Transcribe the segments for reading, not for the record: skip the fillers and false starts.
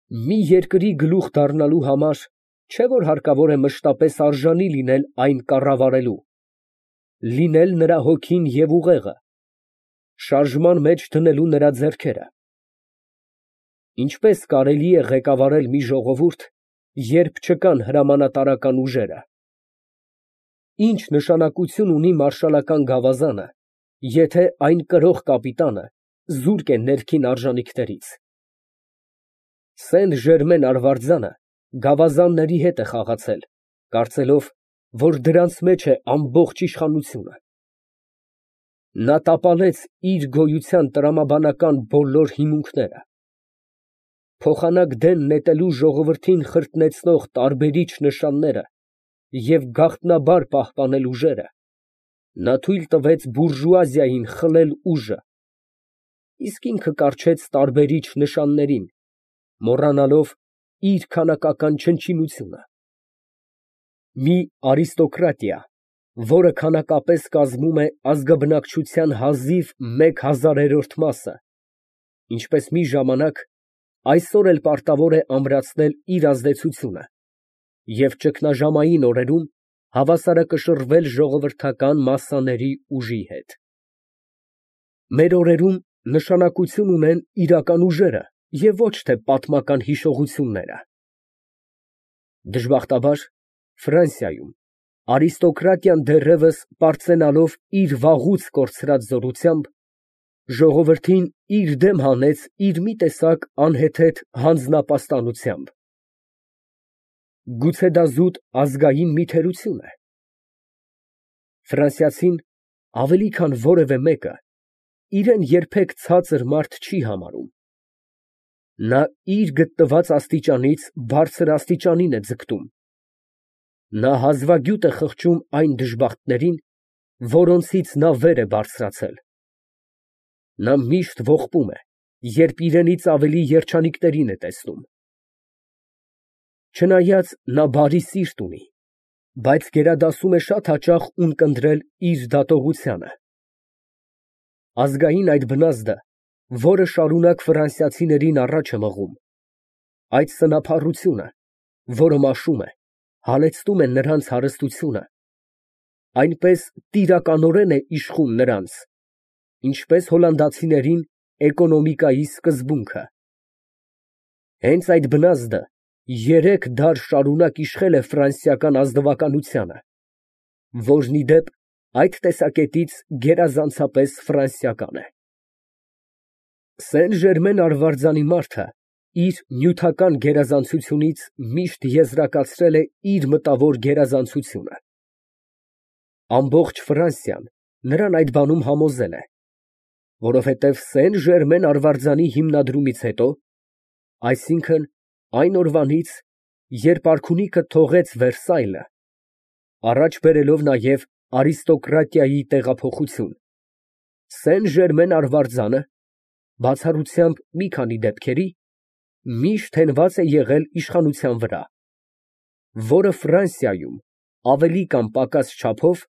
Մի երկրի գլուխ դառնալու համար չէ որ հարկավոր է մշտապես արժանի լինել այն կառավարելու, լինել նրա հոգին և ուղեղը, շարժման մեջ դնելու նրա ձեռքերը։ Ինչպես կարելի է ղեկավարել մի ժողովուրդ, երբ չկան հրամանատարական ուժերը։ Ինչ նշանակություն ունի մարշալական գավազանը, եթե այն կրող կապիտանը զուրկ է ներքին արժանիքներից։ Սեն֊Ժերմեն արվարձանը գավազանների հետ է խաղացել, կարծելով, որ դրանց մեջ է ամբողջ իշխանությունը։ Նա տապալեց իր գոյության տրամաբանական բոլոր հիմունքները։ Փոխանակ դեն նետելու ժողովրդին խրտնեցնող տարբերիչ նշանները և գաղտնաբար պահպանել ուժերը, նա թույլ տվեց բուրժուազիային խլել ուժը, իսկ ինքը կառչեց տարբերիչ նշաններին, մոռանալով իր քանակական չնչինությունը։ Մի արիստոկրատիա, որը քանակապես կազմում է ազգաբնակչության հազիվ 1/1000-րդ մասը, ինչպես մի ժամանակ, այսօր էլ պարտավոր է ամրացնել իր ազդեցությունը և ճգնաժամային օրերում հավասարակշռվել ժողովրդական մասսաների ուժի հետ։ Մեր օրերում նշանակություն ունեն իրական ուժերը և ոչ թե պատմական հիշողությունները։ Դժբախտաբար, Ֆրանսիայում արիստոկրատիան դեռևս պարծենալով իր վաղուց կորցրած զորությամբ, ժողովրդին իր դեմ հանեց իր մի տեսակ անհեթեթ հանձնապաստանությամբ։ Գուցե դա զուտ ազգային մի թերություն է։ Ֆրանսիացին ավելի քան որևէ մեկը իրան երբեք ցածր մարդ չի համարում։ Նա իր գտնված աստիճանից բարձր աստիճանին է ձգտում։ Նա հազվագյուտ է խղճում այն դժբախտներին, որոնցից նա վեր է բարձրացել։ Նա միշտ ողբում է, երբ իրենից ավելի երջանիկներին է տեսնում։ Չնայած նա բարի սիրտ ունի, բայց գերադասում է շատ հաճախ ունկնդրել իր դատողությանը։ Ազգային այդ բնազդը, որը շարունակ ֆրանսիացիներին առաջ է մղում, այդ սնափառությունը, որը մաշում է, հալեցնում է նրանց հարստությունը, այնպես տիրականորեն է իշխում նրանց, ինչպես հոլանդացիներին էկոնոմիկայի սկզբունքը։ Հենց այդ բնազդը 3 դար շարունակ իշխել է ֆրանսիական ազնվականությանը, որն ի դեպ այդ տեսակետից գերազանցապես ֆրանսիական է։ Սեն֊Ժերմեն արվարձանի մարդը իր նյութական գերազանցությունից միշտ եզրակացրել է իր մտավոր գերազանցությունը։ Ամբողջ Ֆրանսիան նրան այդ բանում համոզել է, որովհետև Սեն֊Ժերմեն արվարձանի հիմնադրումից հետո, այսինքն այն օրվանից, երբ արքունիքը թողեց Վերսայլը, առաջ բերելով նաև արիստոկրատիայի տեղափոխություն, Սեն֊Ժերմեն արվարձանը, բացառությամբ մի քանի դեպքերի, միշտ հենված է եղել իշխանության վրա, որը Ֆրանսիայում ավելի կամ պակաս չափով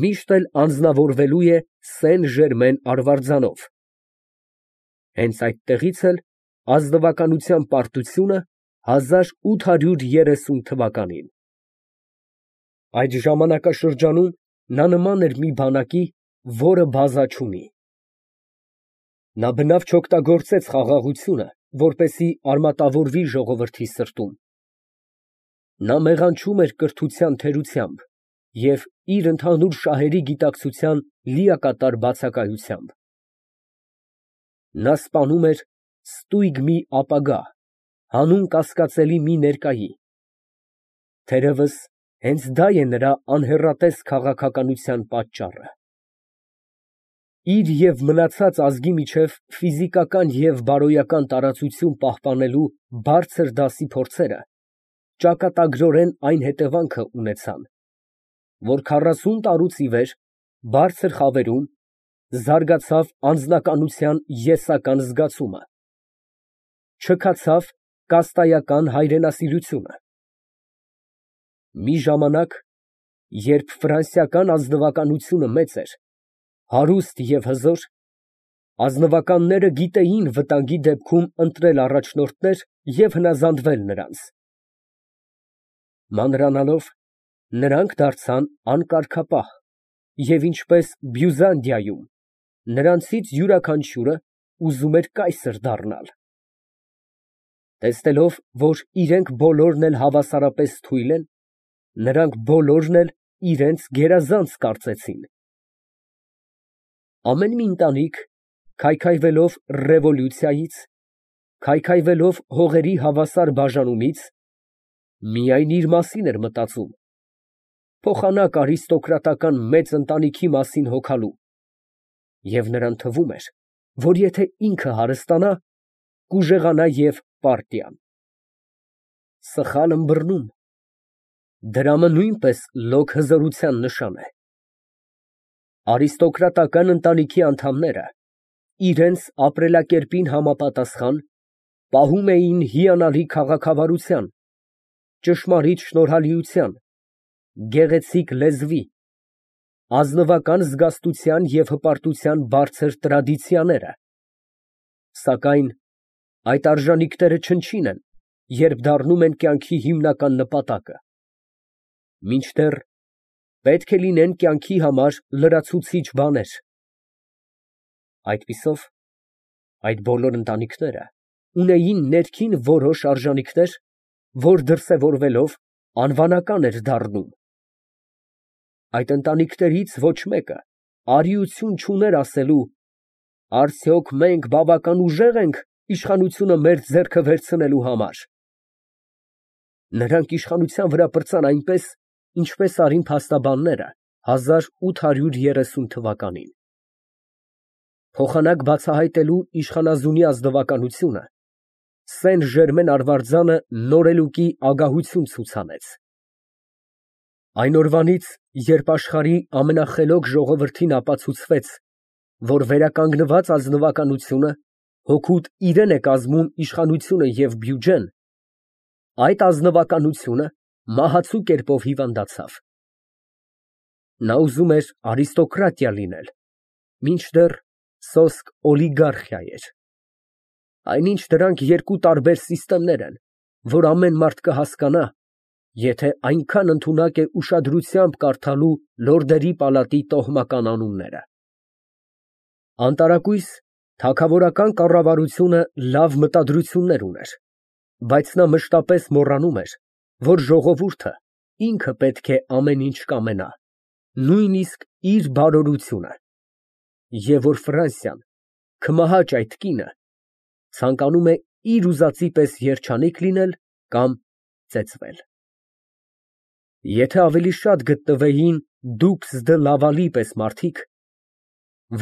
միշտ էլ անձնավորվելու է Սեն֊Ժերմեն արվարձանով։ Հենց այդտեղից էլ ազնվականության պարտությունը 1830 թվականին։ Այդ ժամանակաշրջանում նա նման էր մի բանակի, որը բազա չունի։ Նա բնավ չօգտագործեց խաղաղությունը, որպեսզի արմատավորվի ժողովրդի սրտում։ Նա մեղանչում էր կրթության թերությամբ և իր ընդհանուր շահերի գիտակցության լիակատար բացակայությամբ։ Նա սպանում էր ստույգ մի ապագա, հանուն կասկածելի մի ներկայի։ Թերևս հենց դա է նրա անհեռատես քաղաքականության պատճառը։ Իր և մնացած ազգի միջև ֆիզիկական և բարոյական տարածություն պահպանելու բարձր դասի փորձերը ճակատագրորեն այն հետևանքը ունեցան, որ 40 տարուց ի վեր բարձր խավերում զարգացավ անձնականության եսական զգացումը, չքացավ կաստայական հայրենասիրությունը։ Մի ժամանակ, երբ ֆրանսիական ազնվականությունը մեծ էր, հարուստ և հզոր, ազնվականները գիտեին վտանգի դեպքում ընտրել առաջնորդներ, և հնազանդվել նրանց։ Մանրանալով, նրանք դարձան անկարգապահ և ինչպես Բյուզանդիայում, նրանցից յուրաքանչյուրը ուզում էր կայսր դառնալ։ Տեսնելով, որ իրենք բոլորն էլ հավասարապես թույլ են, նրանք բոլորն էլ իրենց գերազանց կարծեցին։ Ամեն մի ընտանիք, քայքայվելով ռևոլյուցիայից, քայքայվելով հողերի հավասար բաժանումից, միայն իր մասին էր մտածում, փոխանակ արիստոկրատական մեծ ընտանիքի մասին հոգալու, և նրան թվում էր, որ եթե ինքը հարստանա, կուժեղանա և պարտիան։ Սխալ ըմբռնում, դրամը նույնպես լոկ հզորության նշան է։ Արիստոկրատական ընտանիքի անդամները իրենց ապրելակերպին համապատասխան պահում էին հիանալի քաղաքավարության, ճշմարիտ շնորհալիության, գեղեցիկ լեզվի, ազնվական զգաստության և հպարտության բարձր տրադիցիաները, սակայն այդ արժանիքները չնչին են, երբ դառնում են կյանքի հիմնական նպատակը, մինչդեռ պետք է լինեն կյանքի համար լրացուցիչ բաներ։ Այդպիսով, այդ բոլոր ընտանիքները ունեին ներքին որոշ արժանիքներ, որ դրսևորվելով անվանական էր դառնում։ Այդ ընտանիքներից ոչ մեկը արիություն չուներ ասելու. «Արդյոք մենք բավական ուժեղ ենք իշխանությունը մեր ձեռքը վերցնելու համար»։ Նրանք իշխանության վրա պրծան այնպես, ինչպես արին փաստաբանները 1830 թվականին։ Փոխանակ բացահայտելու իշխանազունի ազնվականությունը Սեն Ժերմեն արվարձանը նորելուկի ագահություն ցուցանեց։ Այն օրվանից, երբ աշխարհի ամենախելոք ժողովրդին ապացուցվեց, որ վերականգնված ազնվականությունը հօգուտ իրեն է կազմում իշխանությունը և բյուջեն, այդ ազնվականությունը մահացու կերպով հիվանդացավ։ Նա ուզում էր արիստոկրատիա լինել, մինչդեռ սոսկ օլիգարխիա էր։ Այնինչ դրանք երկու տարբեր սիստեմներ են, որ ամեն մարդ կհասկանա, եթե այնքան ընդունակ է ուշադրությամբ կարդալու լորդերի պալատի տոհմական անունները։ Անտարակույս թագավորական կառավարությունը լավ մտադրություններ ուներ, բայց նա մշտապես մոռանում էր, որ ժողովուրդը ինքը պետք է ամեն ինչ կամենա, նույնիսկ իր բարօրությունը, և որ Ֆրանսիան, կմահաճ այդ կինը, ցանկանում է իր ուզածի պես երջանիկ լինել կամ ծեծվել։ Եթե ավելի շատ գտնվեին դուքս դը Լավալի պես մարդիկ,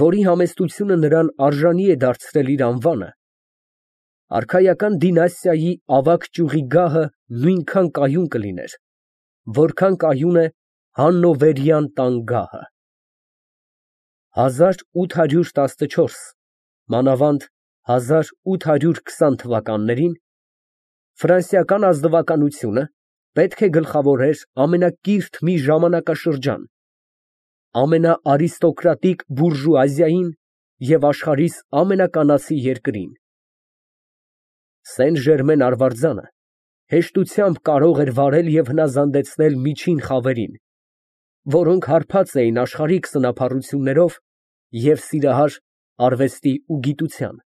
որի համեստությունը նրան արժանի է դարձրել իր անվանը, արքայական դինաստիայի ավագ ճյուղի գահը նույնքան կայուն կլիներ, որքան կայուն է հաննովերյան տան գահը։ 1814, մանավանդ 1820 թվականներին ֆրանսիական ազնվականությունը պետք է գլխավորեր ամենակիրթ մի ժամանակաշրջան, ամենաարիստոկրատիկ բուրժուազիային և աշխարհիս ամենականացի երկրին։ Սեն Ժերմեն արվարձանը հեշտությամբ կարող էր վարել և հնազանդեցնել միջին խավերին, որոնք հարբած էին աշխարհիկ սնափառություններով և սիրահար արվեստի ու գիտության։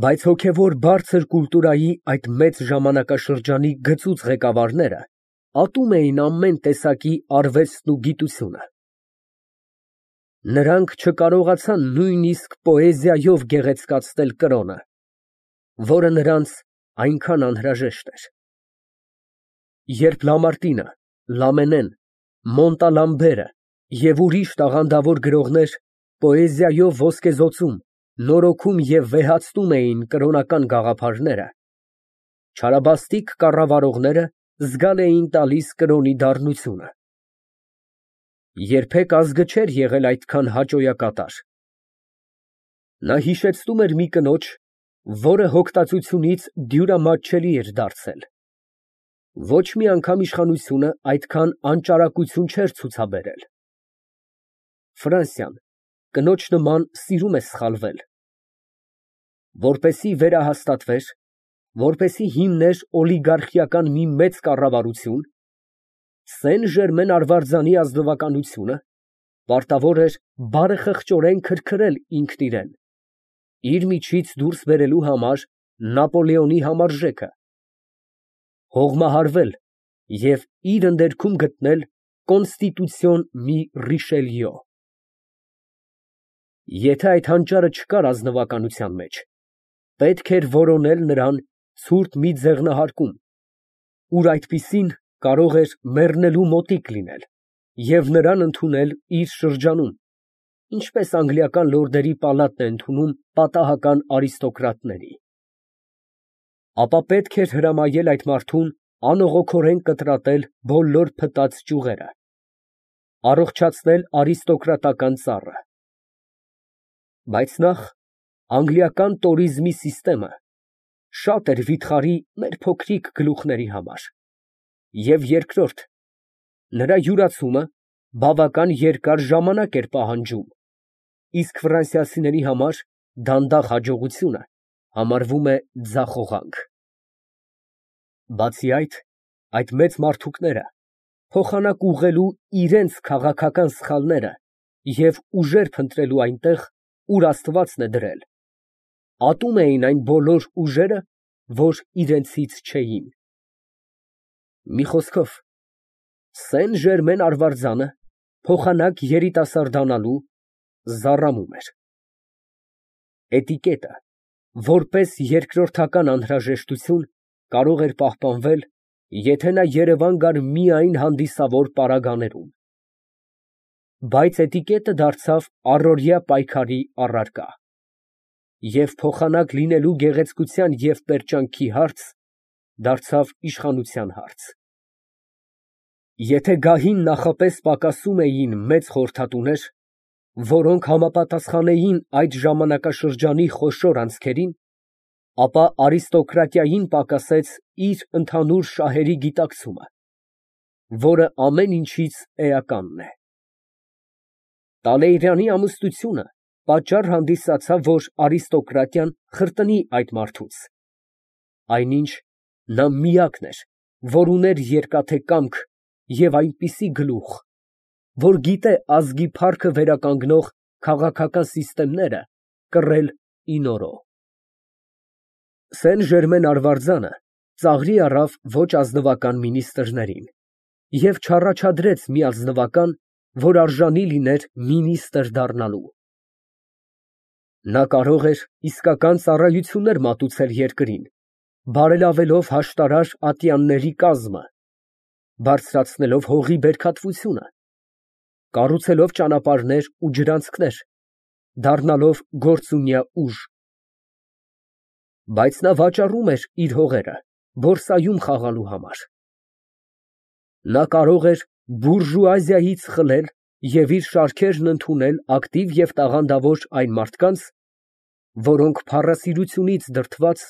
Բայց հոգևոր բարձր կուլտուրայի այդ մեծ ժամանակաշրջանի գծուծ ղեկավարները ատում էին ամեն տեսակի արվեստն ու գիտությունը։ Նրանք չկարողացան նույնիսկ պոեզիայով գեղեցկացնել կրոնը, որը նրանց այնքան անհրաժեշտ էր։ Երբ Լամարտինը, Լամենեն, Մոնտալամբերը և ուրիշ տաղանդավոր գրողներ պոեզիայով ոսկեզօծում, նորոգում և վեհացնում էին կրոնական գաղափարները, չարաբաստիկ կառավարողները զգալ էին տալիս կրոնի դառնությունը։ Երբեք ազգը չէր եղել այդքան հաճոյակատար։ Նա հիշեցնում էր մի կնոջ, որը հոգտածությունից դյուրամատչելի էր դարձել։ Ոչ մի անգամ իշխանությունը այդքան անճարակություն չէր ցուցաբերել։ Ֆրանսիան կնոջ նման սիրում է սխալվել։ Որպեսզի վերահաստատվեր, որպեսզի հիմներ օլիգարխիական մի մեծ կառավարություն, Սեն֊Ժերմեն արվարձանի ազնվականությունը պարտավոր էր բարեխղճորեն քրքրել ինքն իրեն, իր միջից դուրս բերելու համար Նապոլեոնի համարժեքը, հողմահարվել և իր ընդերքում գտնել կոնստիտուցիոն մի Ռիշելյո։ Եթե այդ հանճարը չկար ազնվականության մեջ, պետք էր որոնել նրան ցուրտ մի ձեղնահարկում, ուր այդպիսին կարող էր մեռնելու մոտիկ լինել և նրան ընդունել իր շրջանում, ինչպես անգլիական լորդերի պալատն է ընդունում պատահական արիստոկրատների։ Ապա պետք էր հրամայել այդ մարդուն անողոքորեն կտրատել բոլոր փտած ճյուղերը, առողջացնել արիստոկրատական ծառը։ Բայց նախ անգլիական տորիզմի սիստեմը շատ էր վիթխարի մեր փոքրիկ գլուխների համար, և երկրորդ, նրա յուրացումը բավական երկար ժամանակ էր պահանջում, իսկ ֆրանսիացիների համար դանդաղ հաջողությունը համարվում է ձախողանք։ Բացի այդ մեծ մարդուկները փոխանակ ուղղելու իրենց քաղաքական սխալները և ուժեր փնտրելու այնտեղ, ուր Աստվածն է դրել, ատում էին այն բոլոր ուժերը, որ իրենցից չէին։ Մի խոսքով, Սեն֊Ժերմեն արվարձանը փոխանակ երիտասարդանալու զառամում էր։ Էտիկետը, որպես երկրորդական անհրաժեշտություն, կարող էր պահպանվել, եթե նա Երևան գար միայն հանդիսավոր պարագաներում։ Բայց էտիկետը դարձավ առօրյա պայքարի առարկա, և փոխանակ լինելու գեղեցկության և պերճանքի հարց դարձավ իշխանության հարց։ Եթե գահին նախապես պակասում էին մեծ խորհրդատուներ, որոնք համապատասխանեին այդ ժամանակաշրջանի խոշոր անցքերին, ապա արիստոկրատիային պակասեց իր ընդհանուր շահերի գիտակցումը, որը ամեն ինչից էականն է։ Տալեյրանի ամուսնությունը պատճառ հանդիսացավ, որ արիստոկրատիան խրտնի այդ մարդուց, այնինչ նա միակն էր, որ ուներ երկաթե կամք և այնպիսի գլուխ, որ գիտե ազգի փառքը վերականգնող քաղաքական սիստեմները կռել ի նորո։ Սեն֊Ժերմեն արվարձանը ծաղրի առավ ոչ ազնվական մինիստրներին և չառաջադրեց մի ազնվական, որ արժանի լիներ մինիստրը դառնալու։ Նա կարող էր իսկական ծառայություններ մատուցել երկրին, բարելավելով հաշտարար ատյանների կազմը, բարձրացնելով հողի բերքատվությունը, կառուցելով ճանապարհներ ու ջրանցքներ, դառնալով գործունյա ուժ։ Բայց նա վաճառում էր իր հողերը բորսայում խաղալու համար։ Նա կարող էր բուրժուազիայից խլել և իր շարքերն ընդունել ակտիվ և տաղանդավոր այն մարդկանց, որոնք փառասիրությունից դրդված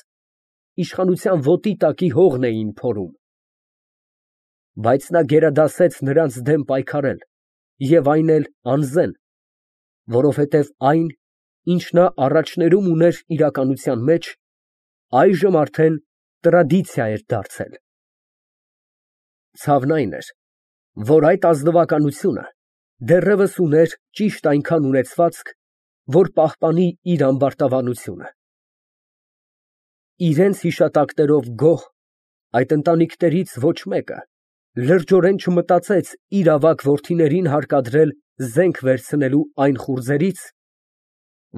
իշխանության ոտի տակի հողն էին փորում։ Բայց նա գերադասեց նրանց դեմ պայքարել և այն էլ անզեն, որովհետև այն, ինչ նա առաջներում ուներ իրականության մեջ, այժմ արդեն տրադիցիա էր դարձել։ Ցավն այն էր, որ այդ ազնվականությունը դեռևս ուներ ճիշտ այնքան ունեցվածք, որ պահպանի իր ամբարտավանությունը։ Իրենց հիշատակներով գոհ, այդ ընտանիքներից ոչ մեկը լրջորեն չմտածեց իր ավագ որդիներին հարկադրել զենք վերցնելու այն խուրձերից,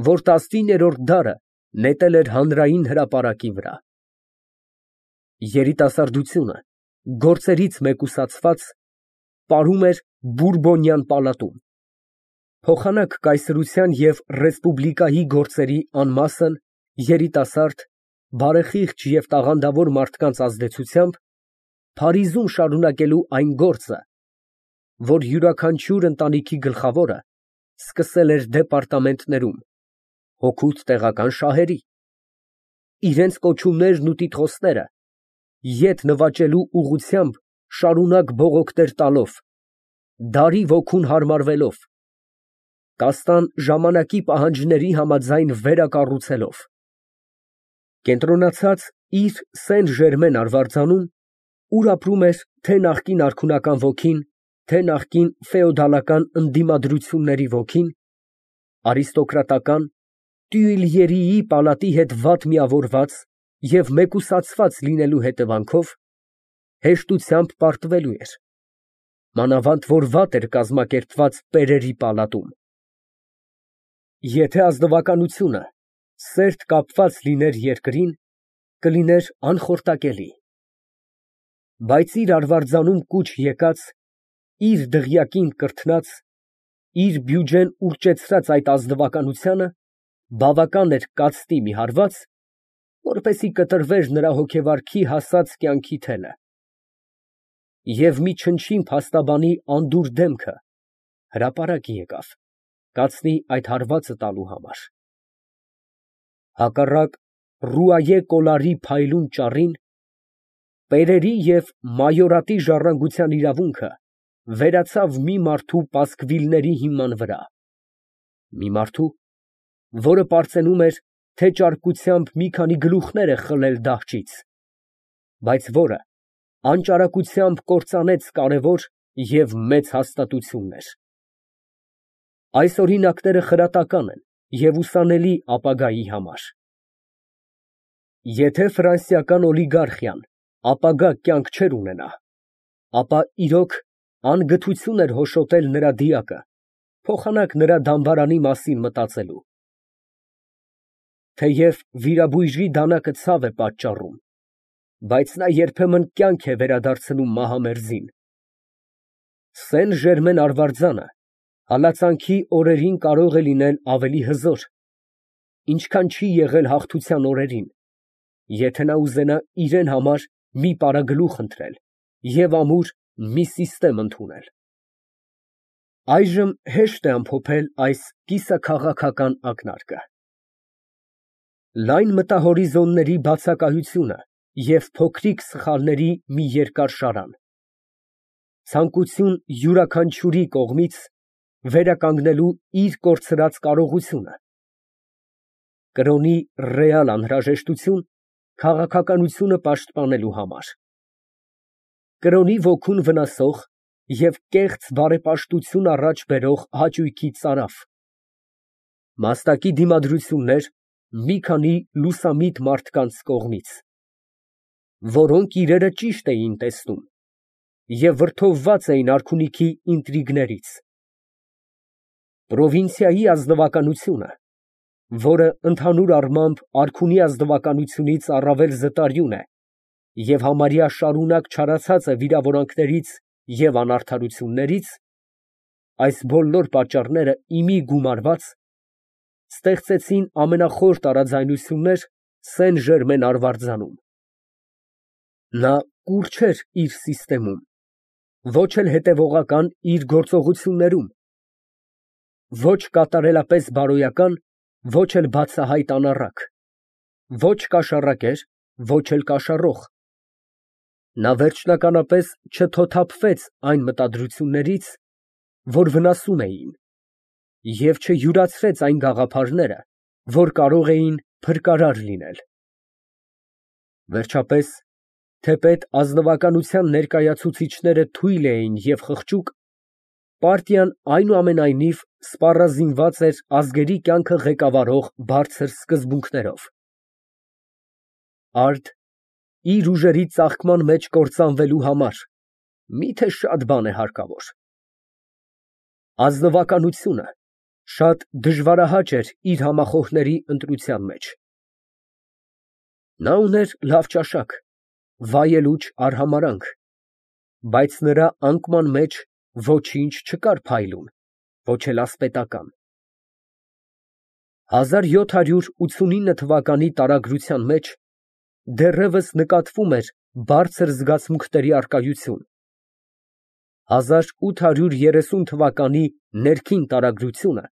որ 19-րդ դարը նետել էր հանրային հրապարակի վրա։ Երիտասարդությունը, գործերից մեկուսացված, ապրում էր Բուրբոնյան պալատում, փոխանակ կայսրության և ռեսպուբլիկայի գործերի անմասն, երիտասարդ, բարեխիղճ և տաղանդավոր մարդկանց ազդեցությամբ Փարիզում շարունակելու այն գործը, որ յուրաքանչյուր ընտանիքի գլխավորը սկսել էր դեպարտամենտներում, հօգուտ տեղական շահերի, իրենց կոչումներն ու տիտղոսները ետ նվաճելու ուղղությամբ շարունակ բողոքներ տալով, դարի ոգուն հարմարվելով, կաստան ժամանակի պահանջների համաձայն վերակառուցելով, կենտրոնացած իր Սեն Ժերմեն արվարձանում, ուր ապրում էր թե նախկին արքունական ոգին, թե նախկին ֆեոդալական ընդդիմադրությունների ոգին, արիստոկրատական Տյուիլյերիի պալատի հետ վատ միավորված և մեկուսացված լինելու հետևանքով, հեշտությամբ պարտվելու էր, մանավանդ որ վատ էր կազմակերպված պերերի պալատում։ Եթե ազնվականությունը սերտ կապված լիներ երկրին, կլիներ անխորտակելի, բայց իր արվարձանում կուչ եկած, իր դղյակին կրթնած, իր բյուջեն ուռճեցրած այդ ազնվականությանը բավական էր կացտի մի հարված, որպեսզի կտրվեր նրա հոգեվարքի հասած կյանքի թելը, և մի չնչին փաստաբանի անդուր դեմքը հրապարակ եկավ կացնի այդ հարվածը տալու համար։ Հակառակ Ռուայե կոլարի փայլուն ճառին, պերերի և մայորատի ժառանգության իրավունքը վերացավ մի մարդու պասկվիլների հիման վրա, մի մարդու, որը պարծենում էր, թե ճարկությամբ մի քանի գլուխներ է խլել դահճից, բայց որը անճարակությամբ կործանեց կարևոր և մեծ հաստատություններ։ Այս օրինակները խրատական են և ուսանելի ապագայի համար։ Եթե ֆրանսիական օլիգարխիան ապագա կյանք չէր ունենա, ապա իրոք անգթություն էր հոշոտել նրա դիակը, փոխանակ նրա դամբարանի մասին մտածելու։ Թեև վիրաբույժի դանակը ցավ է պատճառում, բայց նա երբեմն կյանք է վերադարձնում մահամերձին։ Սեն Ժերմեն արվարձանը հալածանքի օրերին կարող է լինել ավելի հզոր, ինչքան չի եղել հաղթության օրերին, եթե նա ուզենա իրեն համար մի պարագլուխ ընտրել և ամուր մի ընդունել։ Այժմ հեշտ է ամփոփել այս կիսաքաղաքական ակնարկը։ Լայն մտահորիզոնների բացակայությունը և փոքրիկ սխալների մի երկար շարան, ցանկություն յուրաքանչյուրի կողմից վերականգնելու իր կորցրած կարողությունը, կրոնի ռեալ անհրաժեշտություն քաղաքականությունը պաշտպանելու համար, կրոնի ոգուն վնասող և կեղծ բարեպաշտություն առաջ բերող հաճույքի ծարավ, մաստակի դիմադրություններ մի քանի լուսամիտ մարդկանց կողմից, որոնք իրերը ճիշտ էին տեսնում և վրդովված էին արքունիքի ինտրիգներից, պրովինցիայի ազնվականությունը, որը ընդհանուր առմամբ արքունի ազնվականությունից առավել զտարյուն է և համարյա շարունակ չարացած է վիրավորանքներից և անարդարություններից, այս բոլոր պատճառները ի մի գումարված ստեղծեցին ամենախոր տարաձայնություններ Սեն Ժերմեն արվարձանում։ Նա կուր չէր իր սիստեմում, ոչ էլ հետևողական իր գործողություններում, ոչ կատարելապես բարոյական, ոչ էլ բացահայտ անառակ, ոչ կաշառակեր, ոչ էլ կաշառող։ Նա վերջնականապես չթոթափվեց այն մտադրություններից, որ վնասում էին, և չյուրացրեց այն գաղափարները, որ կարող էին փրկարար լինել։ Վերջապես, թեպետ ազնվականության ներկայացուցիչները թույլ էին և խղճուկ, պարտիան այնուամենայնիվ սպառազինված էր ազգերի կյանքը ղեկավարող բարձր սկզբունքներով։ Արդ իր ուժերի ծաղկման մեջ կործանվելու համար մի՞թե շատ բան է հարկավոր։ Ազնվականությունը շատ դժվարահաճ էր իր համախոհների ընտրության մեջ։ Նա ուներ լավ ճաշակ, վայելուչ արհամարհանք, բայց նրա անկման մեջ ոչինչ չկար փայլուն, ոչ էլ ասպետական։ 1789 թվականի տարագրության մեջ դեռևս նկատվում էր բարձր զգացմունքների առկայություն, 1830 թվականի ներքին տարագրությունը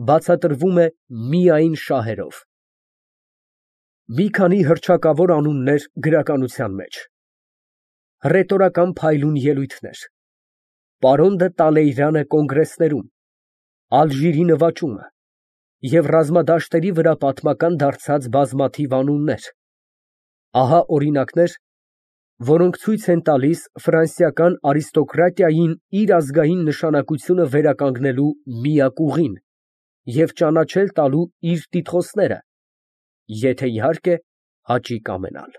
բացատրվում է միայն շահերով։ Մի քանի հռչակավոր անուններ գրականության մեջ, հռետորական փայլուն ելույթներ, պարոն դը Տալեյրանը կոնգրեսներում, Ալժիրի նվաճումը և ռազմադաշտերի վրա պատմական դարձած բազմաթիվ անուններ, Ահա օրինակներ, որոնք ցույց են տալիս ֆրանսիական արիստոկրատիային իր ազգային նշանակությունը վերականգնելու միակ ուղին և ճանաչել տալու իր տիտղոսները, եթե իհարկե հաճի կամենալ։